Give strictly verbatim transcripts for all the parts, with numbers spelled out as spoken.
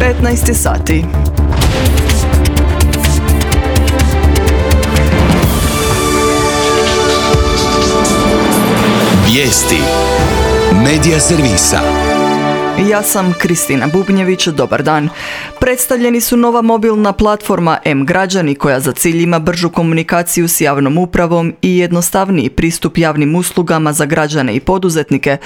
petnaest sati. Vijesti Medija servisa. Ja sam Kristina Bubnjević, dobar dan. Predstavljeni su nova mobilna platforma M-Građani koja za cilj ima bržu komunikaciju s javnom upravom i jednostavniji pristup javnim uslugama za građane i poduzetnike,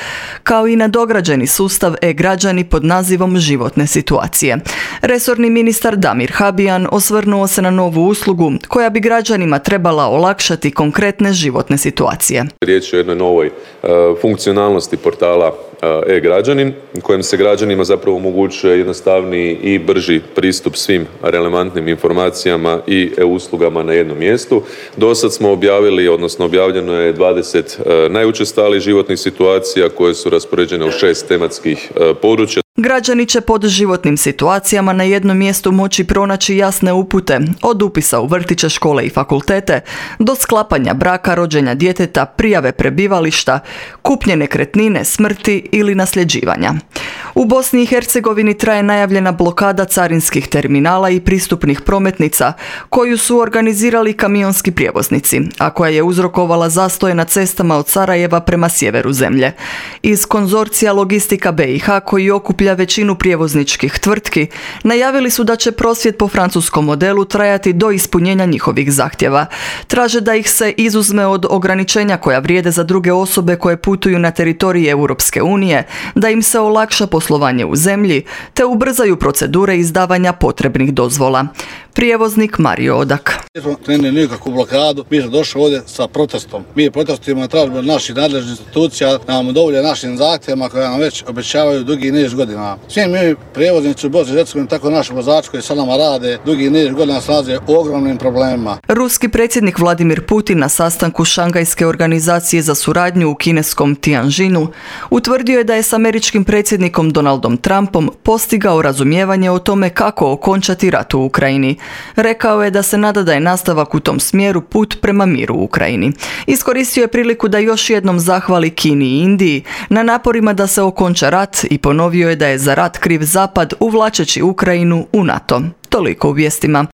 kao i nadograđeni sustav E-Građani pod nazivom Životne situacije. Resorni ministar Damir Habijan osvrnuo se na novu uslugu koja bi građanima trebala olakšati konkretne životne situacije. Riječ je o jednoj novoj uh, funkcionalnosti portala uh, E-Građanin, kojem se građanima zapravo omogućuje jednostavniji i brži pristup svim relevantnim informacijama i e-uslugama na jednom mjestu. Do sad smo objavili, odnosno objavljeno je dvadeset uh, najučestalijih životnih situacija koje su raspoređene u šest tematskih uh, područja. Građani će pod životnim situacijama na jednom mjestu moći pronaći jasne upute, od upisa u vrtiće, škole i fakultete, do sklapanja braka, rođenja djeteta, prijave prebivališta, kupnje nekretnine, smrti ili nasljeđivanja. U Bosni i Hercegovini traje najavljena blokada carinskih terminala i pristupnih prometnica, koju su organizirali kamionski prijevoznici, a koja je uzrokovala zastoje na cestama od Sarajeva prema sjeveru zemlje. Iz konzorcija Logistika B i H, koji okuplja većinu prijevozničkih tvrtki, najavili su da će prosvjed po francuskom modelu trajati do ispunjenja njihovih zahtjeva. Traže da ih se izuzme od ograničenja koja vrijede za druge osobe koje putuju na teritorij Europske unije, da im se olakša poslovanje u zemlji, te ubrzaju procedure izdavanja potrebnih dozvola. Prijevoznik Mario Odak. Ne nikakvu blokadu, mi smo došli ovdje sa protestom. Mi protestujemo, tražimo naših nadležnih institucija da nam dovolje našim zahtjevima koje nam već obećavaju dugi niz godina. Svi mi prijevoznici u Bosni i Hercegovini, tako naši vozači koji sa nama rade, dugi niz godina se nalaze u ogromnim problemima. Ruski predsjednik Vladimir Putin na sastanku Šangajske organizacije za suradnju u kineskom Tianjinu utvrdio je da je s američkim predsjednikom Donaldom Trumpom postigao razumijevanje o tome kako okončati rat u Ukrajini. Rekao je da se nada da je nastavak u tom smjeru put prema miru u Ukrajini. Iskoristio je priliku da još jednom zahvali Kini i Indiji na naporima da se okonča rat i ponovio je da je za rat kriv Zapad uvlačeći Ukrajinu u NATO. Toliko u vijestima.